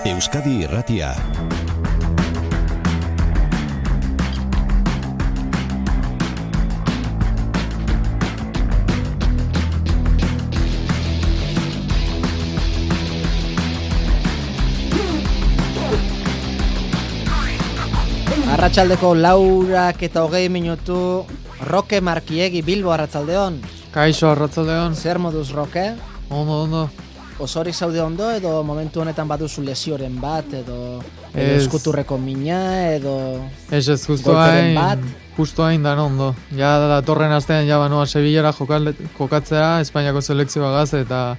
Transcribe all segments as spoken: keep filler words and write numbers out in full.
Euskadi Irratia. Arratsaldeko laurak eta hogei minutu. Roke Markiegi, Bilbo, arratsaldeon. Kaixo, arratsaldeon. Zer moduz, Roke? Ondo, ondo. Osorik zaude ondo, edo momentu honetan baduzu lesioren bat, edo, edo Ez. eskuturreko mina, edo Ez ez, justo golperen hain, bat. justo hain dan ondo. Ja, datorren astean ja banoa Sevillara jokal- jokatzea, Espainiako selekzioagaz, eta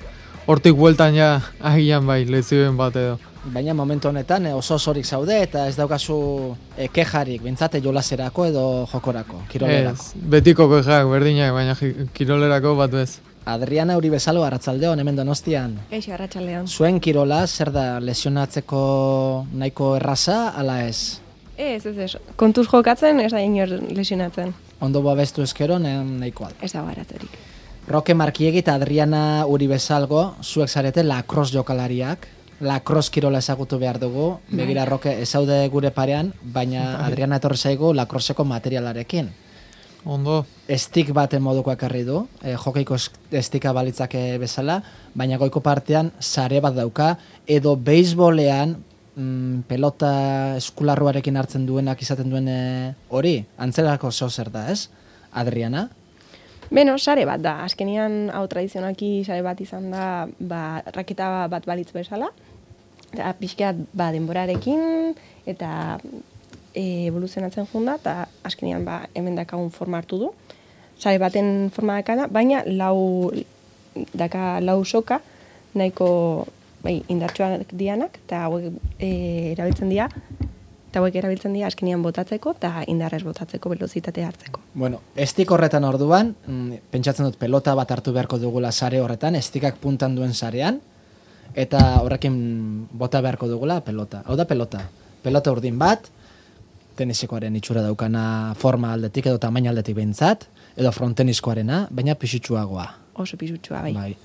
hortik bueltan ja agian bai, lezioen bat edo. Baina momentu honetan eh, oso osorik zaude, eta ez daukazu eh, kejarik, bintzate jolaserako edo jokorako, kirolerako. Ez, betiko kojak, berdinak, baina ji- kirolerako bat bez. Adriana Uri bezalo, arratsaldeon, hemen Donostian. Eixo, arratsaldeon. Zuen kirola, zer da, lesionatzeko nahiko erraza, ala ez? Ez, ez, ez. Kontuz jokatzen, ez da inor lesionatzen. Ondo babestu eskero, nahikoa da. Ez da baratorik. Roke Markiegi eta Adriana Uri bezalgo, zuek zarete lacrosse jokalariak. Lacrosse kirola ezagutu behar dugu. Begira, Roke, ezaude gure parean, baina Adriana etorri zaigu lacrosseko materialarekin. Ondo, Estik baten moduko ekarri du, e, jokeiko es- estika balitzake bezala, baina goiko partean sare bat dauka, edo beisbolean mm, pelota eskularruarekin hartzen duenak izaten duen e, hori, antzerako zeo zer da, ez? Adriana? Beno, sare bat da. Azkenian, hau tradizionalki sare bat izan da, ba, raketa bat balitz bezala. Eta pixkat, ba, denborarekin, eta e, evoluzionatzen junda, eta azkenian, ba, hemen dakagun forma hartu du. Sare baten forma dakana, baina lau, daka lau soka, nahiko bai, indartsuak dianak, eta hauek e, erabiltzen dira, eta hauek erabiltzen dira azkenian botatzeko, eta indarrez botatzeko, velozitatea hartzeko. Bueno, estik horretan orduan, mm, pentsatzen dut pelota bat hartu beharko dugula sare horretan, estikak puntan duen sarean, eta horrekin bota beharko dugula pelota. Hau da pelota. Pelota urdin bat, tenisikoaren itxura daukana forma aldetik edo tamaina aldetik behintzat, edo fronteniskoarena, baina pisutsuagoa. Oso pisutsua, bai. Bai.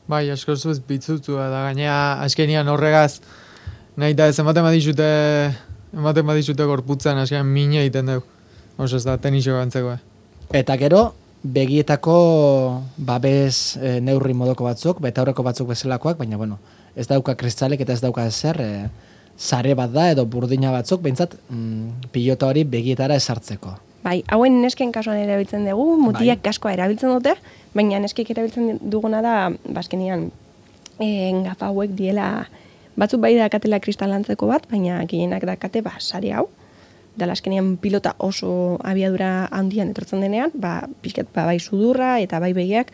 bai, asko zuz bitzutua da, gainea azkenian horregaz, nahi da ez ematen badizute, ematen badizute gorputzan, azkenean mine egiten dugu. Oso ez da, tenisio gantzekoa. Eta gero, begietako babes e, neurri modoko batzuk, betaurreko batzuk bezalakoak, baina bueno, ez dauka kristalek eta ez dauka ezer, e, sare bat da edo burdina batzuk, behintzat mm, pilota hori begietara esartzeko. Bai, hauen nesken kasuan erabiltzen dugu, mutiak kaskoa erabiltzen dute, baina neskek erabiltzen duguna da, bazkenian, e, gafa hauek diela, batzuk bai dakatela kristalantzeko bat, baina gehienak dakate, ba, sari hau, da azkenian pilota oso abiadura handian etortzen denean, ba, pixkat, ba, bai sudurra eta bai begiak,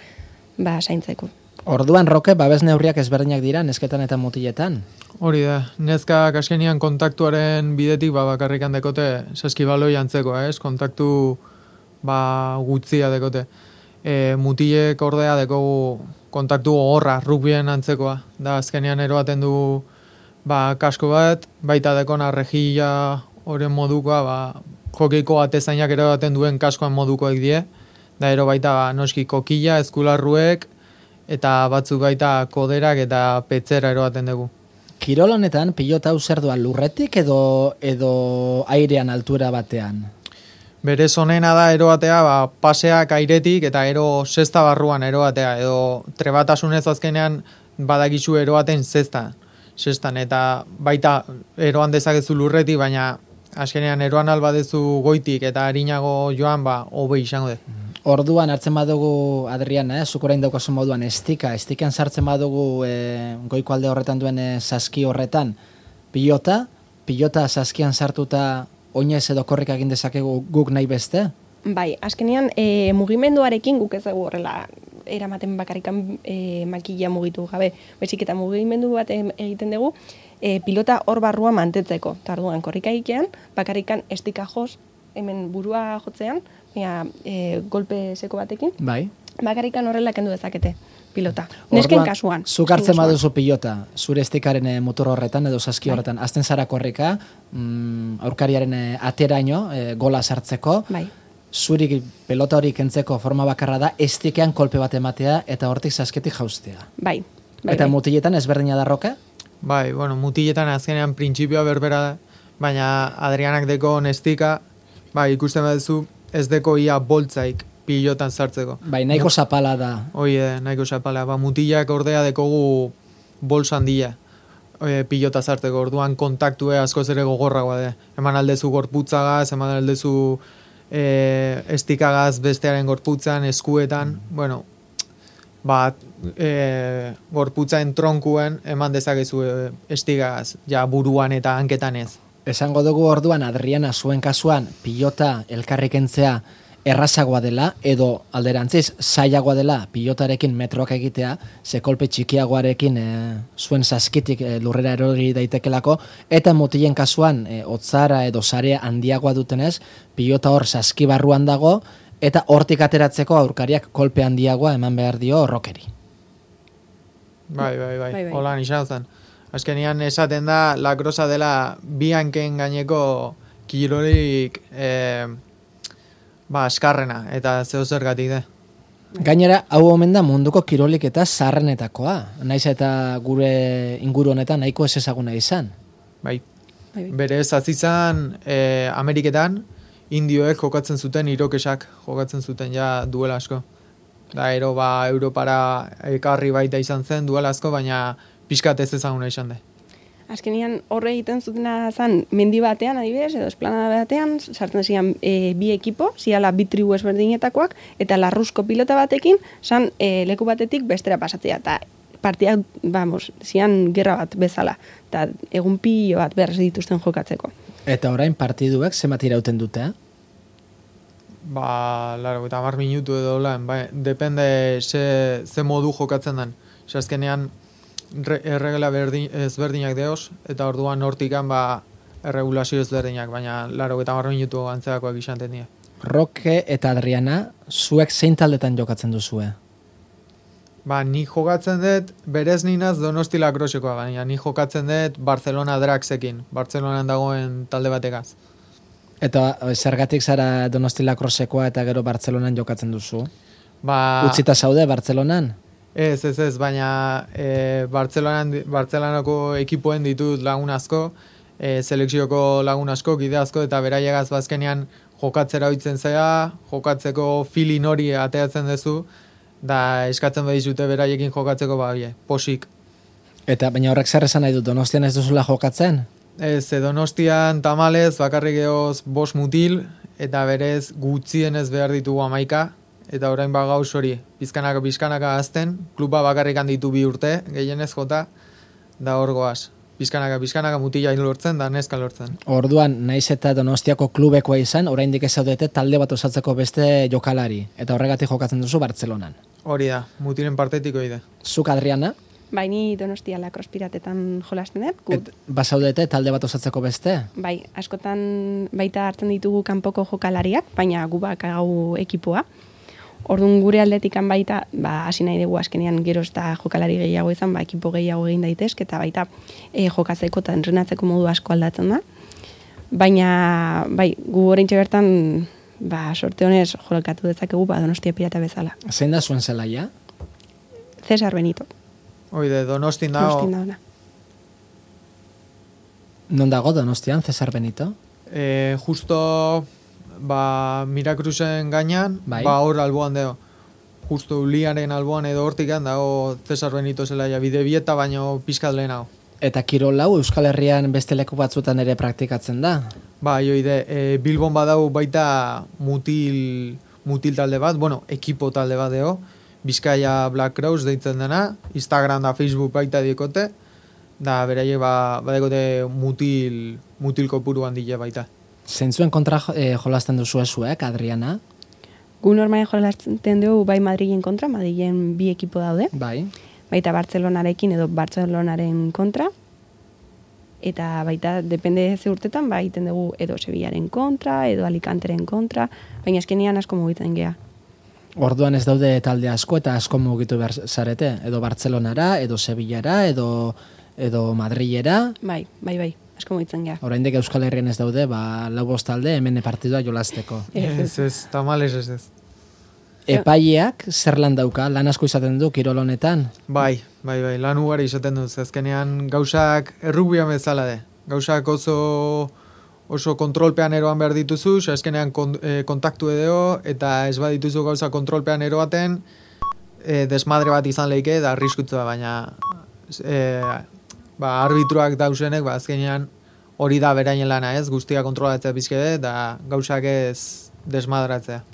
ba, zaintzeko. Orduan, Roke, babes neurriak ezberdinak dira, nesketan eta mutiletan. Hori da, neskak azkenian kontaktuaren bidetik ba, bakarrikan dekote saskibaloi antzekoa, ez? Kontaktu ba, gutzia dekote. E, mutilek ordea dekogu kontaktu gogorra, rugbien antzekoa. Da azkenian eroaten du ba, kasko bat, baita dekona rejilla horren modukoa, ba, jokeiko atezainak eroaten duen kaskoan modukoek die. Da ero baita ba, noski kokilla, eskularruek, eta batzuk baita koderak eta petzera eroaten dugu. Kirol honetan, pilota hau zer doa lurretik edo, edo airean altura batean? Berez honena da eroatea, ba, paseak airetik eta ero zesta barruan eroatea, edo trebatasunez azkenean badakizu eroaten zestan, zestan, eta baita eroan dezakezu lurretik, baina azkenean eroan albadezu goitik eta harinago joan, ba, hobe izango de. Orduan hartzen badugu, Adriana, eh, zuk orain daukazu moduan estika, estikan sartzen badugu eh, goiko alde horretan duen eh, saski horretan, pilota, pilota saskian sartuta oinez edo korrik egin dezakegu guk nahi beste? Bai, azkenean e, mugimenduarekin guk ez dugu horrela eramaten bakarrikan e, makila mugitu gabe, baizik eta mugimendu bat em- egiten dugu e, pilota hor barrua mantetzeko. Tarduan korrika egitean, bakarrikan estika joz, hemen burua jotzean, baina e, golpe seko batekin, Bai. bakarrikan horrela kendu dezakete pilota. Nesken Orduan, kasuan. Zuk hartzen kasuan. baduzu pilota, zure estikaren eh, motor horretan edo saski horretan, azten zara korrika, mm, aurkariaren eh, ateraino, eh, gola sartzeko, Bai. zuri pelota hori kentzeko forma bakarra da, estikean kolpe bat ematea eta hortik sasketik jaustea. Bai. Bai, Eta bai. mutiletan ezberdina da Roke? Bai, bueno, mutiletan azkenean printzipioa berbera da, baina Adrianak deko nestika, bai, ikusten baduzu ez deko ia boltzaik pilotan sartzeko. Bai, nahiko zapala da. Hoi, nahiko zapala. Ba, mutilak ordea dekogu bols handia e, pilota sartzeko, orduan kontaktue askoz ere gogorragoa da. Eman aldezu gorputzagaz, eman aldezu e, estikagaz bestearen gorputzan, eskuetan, mm. bueno, ba, e, gorputzaen tronkuen eman dezakezu e, estigagaz, ja buruan eta hanketan ez. Esango dugu orduan Adriana zuen kasuan pilota elkarrikentzea errazagoa dela, edo alderantziz zailagoa dela pilotarekin metroak egitea, ze kolpe txikiagoarekin e, zuen saskitik e, lurrera erori daitekelako, eta mutilen kasuan e, otzara edo sarea handiagoa dutenez, pilota hor saskibarruan dago, eta hortik ateratzeko aurkariak kolpe handiagoa eman behar dio rokeri. Bai, bai, bai, bai, bai. Holan izan zen. Azkenian esaten da, lakrosa dela bi hanken gaineko kirolik e, ba, askarrena, eta zeo zergatik da. Gainera, hau omen da munduko kirolik eta zarrenetakoa. Naiz eta gure inguru honetan nahiko ez ezaguna izan. Bai, Bai, bai. berez azizan e, Ameriketan indioek jokatzen zuten irokesak jokatzen zuten ja duela asko. Da, ero ba, Europara ekarri baita izan zen duela asko, baina pixkat ez ezaguna izan da. Azkenian horre egiten zutena zan mendi batean adibidez, edo esplanada batean, sartzen zian e, bi ekipo, ziala bi tribu ezberdinetakoak, eta larruzko pilota batekin, zan e, leku batetik bestera pasatzea, eta partiak, vamos, zian gerra bat bezala, eta egun pilo bat behar dituzten jokatzeko. Eta orain partiduek zenbat irauten dute? Ba, laro, eta hamar minutu edo lan, bai, depende ze, ze modu jokatzen den. Azkenean, erregela berdin, ezberdinak deoz, eta orduan hortikan ba erregulazio ezberdinak, baina laro eta hamar minutu antzeakoak izanten dira. Roke eta Adriana, zuek zein taldetan jokatzen duzue? Ba, ni jokatzen dut, berez ninaz Donosti Lakrosekoa, baina ni jokatzen dut Barcelona Draxekin, Barcelonan dagoen talde bategaz. Eta zergatik zara Donosti Lakrosekoa eta gero Bartzelonan jokatzen duzu? Ba, Utzita zaude Bartzelonan? Ez, ez, ez, baina e, Bartzelonan, Bartzelonako ekipoen ditut lagun asko, e, selekzioko lagun asko, gide asko, eta beraiegaz bazkenean jokatzera oitzen zea, jokatzeko filin hori ateatzen duzu, da eskatzen badizute beraiekin jokatzeko babie, posik. Eta baina horrek zer esan nahi dut, Donostian ez duzula jokatzen? Ez, Donostian tamalez, bakarrik egoz bost mutil, eta berez gutxienez behar ditugu amaika, eta orain ba gauz hori, bizkanaka bizkanaka azten, kluba bakarrik handitu bi urte, gehienez jota, da hor goaz. Bizkanaka bizkanaka mutila lortzen, da neska lortzen. Orduan, naiz eta Donostiako klubekoa izan, oraindik ez zaudete talde bat osatzeko beste jokalari, eta horregatik jokatzen duzu Bartzelonan. Hori da, mutilen partetiko ide. Zuk, Adriana? Baini Donostia Lakros Piratetan jolasten dut. Gu, Et, bazaudete talde bat osatzeko beste? bai, askotan baita hartzen ditugu kanpoko jokalariak, baina gu bakagau ekipoa. Orduan gure aldetikan baita, ba, hasi nahi dugu azkenean gero eta jokalari gehiago izan, ba, ekipo gehiago egin daitezke, eta baita e, jokatzeko eta entrenatzeko modu asko aldatzen da. Baina, bai, gu oraintxe bertan, ba, sorte honez jolkatu dezakegu, ba, Donostia Pirata bezala. Zein da zuen zelaia? Cesar Benito. Oide, Donostin dago, Donostin dagoena. Non dago Donostian, Cesar Benito? e, justo ba, Miracruzen gainean, Bai. ba hor alboan deo. Justo Uliaren alboan edo hortikan dago Cesar Benito zelaia, bide bieta baino pizkat lehenago. Eta kirol hau Euskal Herrian beste leku batzutan ere praktikatzen da? Ba, joide, e, Bilbon badau baita mutil, mutil talde bat, bueno, ekipo talde bat deo, Bizkaia Black Cross deitzen dena, Instagram da Facebook baita diekote, da beraiek ba, badekote mutil, mutil kopuru handile baita. Zentzuen kontra eh, jolasten duzu zuek, Adriana? Gu normalen jolasten dugu bai Madrilen kontra, Madrilen bi ekipo daude, Bai. baita Bartzelonarekin edo Bartzelonaren kontra, eta baita, depende ze urtetan, ba, egiten dugu edo Sevillaren kontra, edo Alicanteren kontra, baina eskenean asko mugitzen gea. Orduan ez daude talde asko eta asko mugitu behar zarete, edo Bartzelonara, edo Sevillara, edo, edo Madrilera. Bai, bai, bai, asko mugitzen gea. Oraindik Euskal Herrian ez daude, ba, lau bost talde hemen partidua jolasteko. Ez, ez. Ez, ez, tamales ez ez. Epaileak zer lan dauka, lan asko izaten du kirol honetan? Bai, bai, bai, lan ugari izaten dut, azkenean gauzak errugbian bezala de. Gauzak oso oso kontrolpean eroan behar dituzu, azkenean kon, e, kontaktu edo, eta ez badituzu gauza kontrolpean eroaten, e, desmadre bat izan leike, da arriskutua, baina e, ba, arbitruak dausenek, ba, azkenean hori da beraien lana ez, guztia kontrolatzea bizkede, da gauzak ez desmadratzea.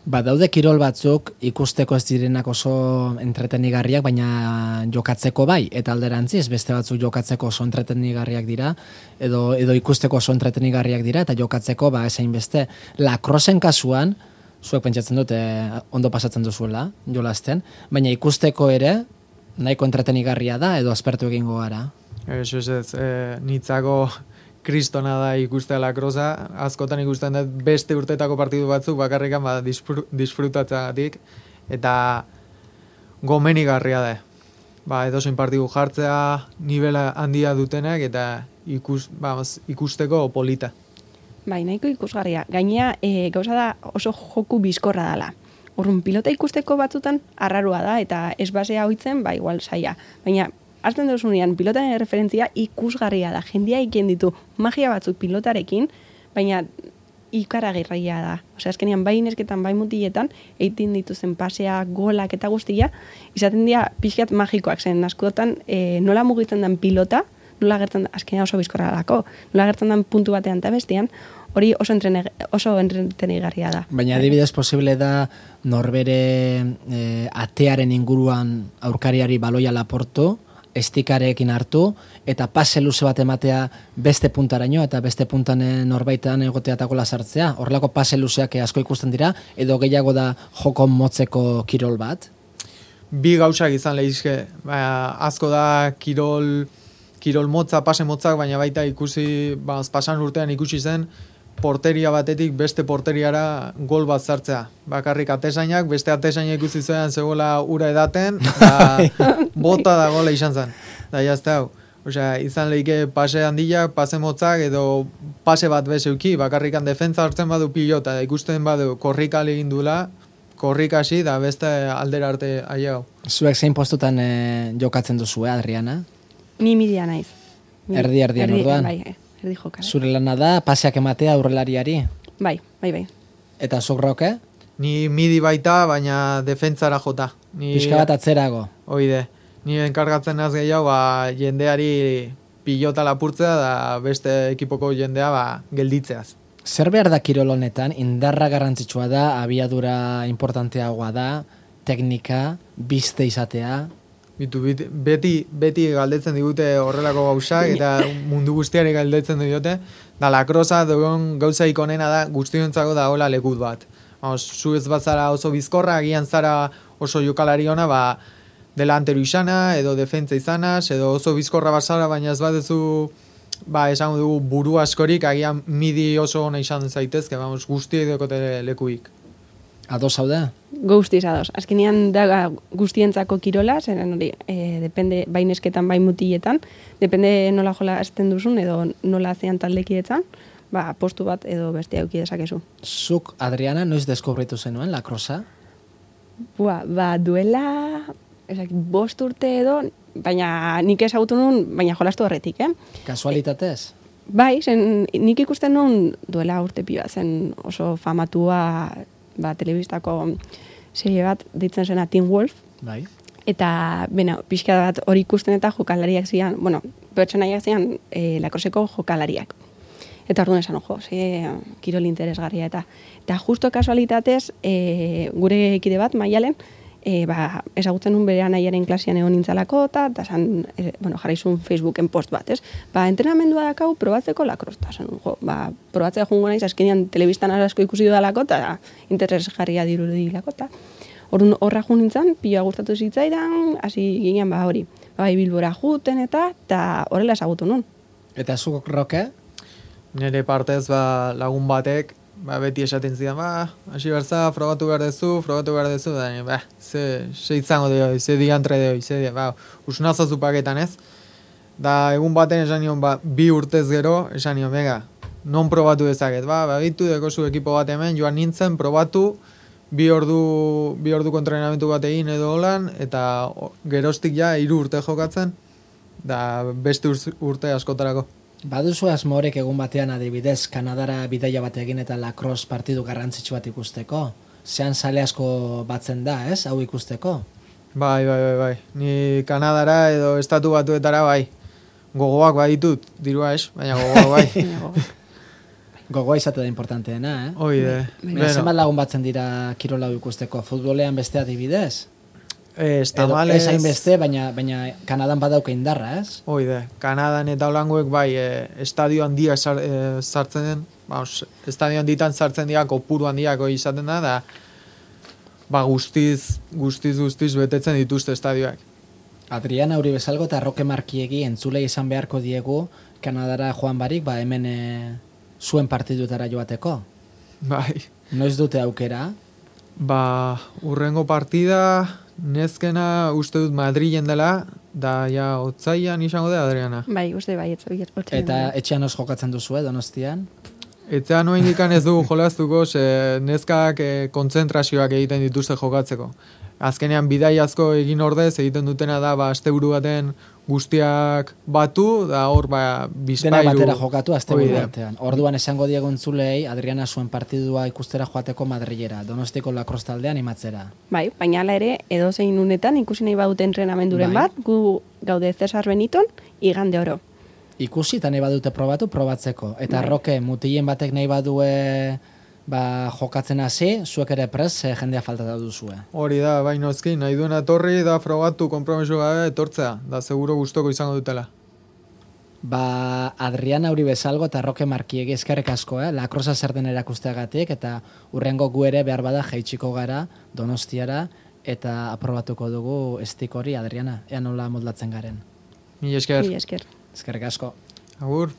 Ba, daude kirol batzuk ikusteko ez direnak oso entretenigarriak, baina jokatzeko bai, eta alderantziz beste batzuk jokatzeko oso entretenigarriak dira, edo, edo ikusteko oso entretenigarriak dira, eta jokatzeko ba esain beste. Lacrossen kasuan, zuek pentsatzen dute ondo pasatzen duzuela, jolasten, baina ikusteko ere nahiko entretenigarria da, edo aspertu egingo gara. Ez, ez, ez, e, nitzako kristona da ikustea lacrossa, askotan ikusten dut beste urtetako partidu batzuk bakarrikan ba, disfr disfrutatzeagatik, eta gomenigarria da. Ba, edozein partidu jartzea nivela handia dutenak eta ikus, ba, ikusteko polita. Bai, nahiko ikusgarria. Gainea, e, gauza da oso joku bizkorra dela. Orrun pilota ikusteko batzutan arrarua da, eta ez basea hoitzen, ba, igual saia. Baina, hartzen duzunean, pilotaren referentzia ikusgarria da. Jendia ikien ditu magia batzuk pilotarekin, baina ikaragarria da. Osea, azkenean bai nesketan, bai mutiletan, eitin dituzen pasea, golak eta guztia, izaten dira pixkat magikoak zen. Askotan, e, nola mugitzen den pilota, nola gertzen da, azkenean oso bizkorra dalako, nola gertzen den puntu batean eta bestean, hori oso entrene, oso entretenigarria da. Baina adibidez posible da norbere e, atearen inguruan aurkariari baloia laportu, estikarekin hartu, eta pase luze bat ematea beste puntaraino, eta beste puntan norbaitan egotea eta gola sartzea. Horrelako pase luzeak asko ikusten dira, edo gehiago da joko motzeko kirol bat? Bi gauzak izan lehizke. Ba, asko da kirol, kirol motza, pase motzak, baina baita ikusi, ba, pasan urtean ikusi zen, porteria batetik beste porteriara gol bat zartzea. Bakarrik atesainak, beste atesainak ikusi zean zegoela ura edaten, da bota da gola izan zen. Da jazte hau. Osea, izan lehike pase handiak, pase motzak, edo pase bat bezeuki, bakarrikan defentza hartzen badu pilota, da ikusten badu korrika egin dula, korrikasi, da beste aldera arte aiau. Zuek zein postutan e, jokatzen duzu, eh, Adriana? Ni midia naiz. Erdi, erdian orduan? Bai, erdi joka. Zure lana da, paseak ematea aurrelariari? Bai, bai, bai. Eta zuk Roke? Ni midi baita, baina defentzara jota. Ni, Pixka bat atzerago. Oide. Ni enkargatzen naz gehiago, ba, jendeari pilota lapurtzea da beste ekipoko jendea ba, gelditzeaz. Zer behar da kirol honetan, indarra garrantzitsua da, abiadura importanteagoa da, teknika, biste izatea? Bitu, beti, beti galdetzen digute horrelako gauzak, eta mundu guztiari galdetzen diote, da lacrossa dugun gauza ikonena da guztiontzako da hola lekut bat. Vamos, zu ez bat zara oso bizkorra, agian zara oso jokalari ona, ba, delantero izana, edo defentsa izanaz, edo oso bizkorra bazara, baina ez batezu, ba, esango dugu buru askorik, agian midi oso ona izan zaitezke, vamos, guztiak dekote lekuik. Ados hau da? Guztiz ados. Azkenean da guztientzako kirola, zeren hori, e, depende, bai nesketan, bai mutiletan, depende nola jola azten duzun, edo nola zean taldekidetzan, ba, postu bat edo beste auki dezakezu. Zuk, Adriana, noiz deskubritu zenuen lacrossa? Bua, ba, duela, esak, bost urte edo, baina nik ezagutu nun, baina jolastu horretik, eh? Kasualitatez? Bai, zen, nik ikusten nun duela urte pila, zen oso famatua, ba, telebistako serie bat ditzen zena Teen Wolf. Bai. Eta, bena, pixka bat hori ikusten eta jokalariak zian, bueno, pertsonaiak zian e, lakroseko jokalariak. Eta orduan esan, ojo, ze kirol interesgarria. Eta, eta justo kasualitatez, e, gure kide bat, Maialen, e, ba, ezagutzen nun bere anaiaren klasian egon nintzalako, eta, eta san, e, bueno, jarraizun Facebooken post bat, ez? Ba, entrenamendua dakau probatzeko lakroz, eta san, jo, ba, probatzea jungo naiz, azkenean telebistan asko ikusi dudalako, eta interesgarria dirudilako, eta orduan horra jun nintzen, pila gustatu zitzaidan, hasi ginean, ba, hori, bai Bilbora juten, eta, eta horrela ezagutu nun. Eta zuk, Roke? Nire partez, ba, lagun batek, ba, beti esaten zidan, ba, hasi berza, frogatu behar dezu, frogatu behar dezu, da, ba, ze, ze izango de hoi, ze diantre de hoi, ze di, ba, usunazazu paketan ez. Da, egun baten esan nion, ba, bi urtez gero, esan nion, bega, non probatu dezaket, ba, ba, bitu dekozu ekipo bat hemen, joan nintzen, probatu, bi ordu, bi orduko entrenamentu bat egin edo holan, eta o- geroztik ja hiru urte jokatzen, da beste ur- urte askotarako. Baduzu asmorek egun batean adibidez, Kanadara bidaia bat egin eta lacrosse partidu garrantzitsu bat ikusteko? Zean sale asko batzen da, ez, hau ikusteko? Bai, bai, bai, bai. Ni Kanadara edo estatu batuetara bai. Gogoak baditut, dirua ez, baina gogoak bai. Gogoa izate da importanteena, eh? Hoi de. Baina zenbat lagun batzen dira kirola hau ikusteko? Futbolean beste adibidez? Ez, Edo tamalez... ez hainbeste, baina, baina Kanadan badauka indarra, ez? Hoi de, Kanadan eta holangoek bai, e, estadio handia sar, e, sartzen den, baus, estadio handitan sartzen dira, kopuru handiako izaten da, da, ba guztiz, guztiz, guztiz betetzen dituzte estadioak. Adriana Uribesalgo eta Roque Markiegi entzulei izan beharko diegu Kanadara joan barik, ba hemen e, zuen partidutara joateko. Bai, Noiz dute aukera? ba, urrengo partida, nezkena uste dut Madrilen dela, da ja otzaian izango da, Adriana. Bai, uste bai, ez oiet. Eta etxean os jokatzen duzu, Donostian? Etzean noa indikan ez dugu jolaztuko, ze neskak e, kontzentrazioak egiten dituzte jokatzeko. Azkenean bidaiazko egin ordez egiten dutena da ba asteburu baten guztiak batu, da hor ba bizpailu. Dena batera jokatu asteburu Hoi da. batean. Orduan esango diegu entzulei Adriana zuen partidua ikustera joateko Madrilera, Donostiko lacrosse taldean animatzera. Bai, baina hala ere, edozein unetan ikusi nahi badute entrenamenduren Bai. bat, gu gaude Cesar Beniton, igande oro. Ikusi eta nahi badute probatu, probatzeko. Eta Bai. Roke, mutilen batek nahi badue ba, jokatzen hasi, zuek ere prez, eh, jendea falta da duzue. Hori da, bai noski, nahi duena etorri da frogatu konpromiso gabe etortzea, da seguro gustoko izango dutela. Ba, Adriana Uribesalgo eta Roke Markiegi eskerrik asko, eh? Lakrosa zer den erakusteagatik, eta urrengo gu ere behar bada jaitsiko gara Donostiara, eta aprobatuko dugu estik hori, Adriana, ea nola modlatzen garen. Mila esker. Mila esker. Eskerrik asko. Agur.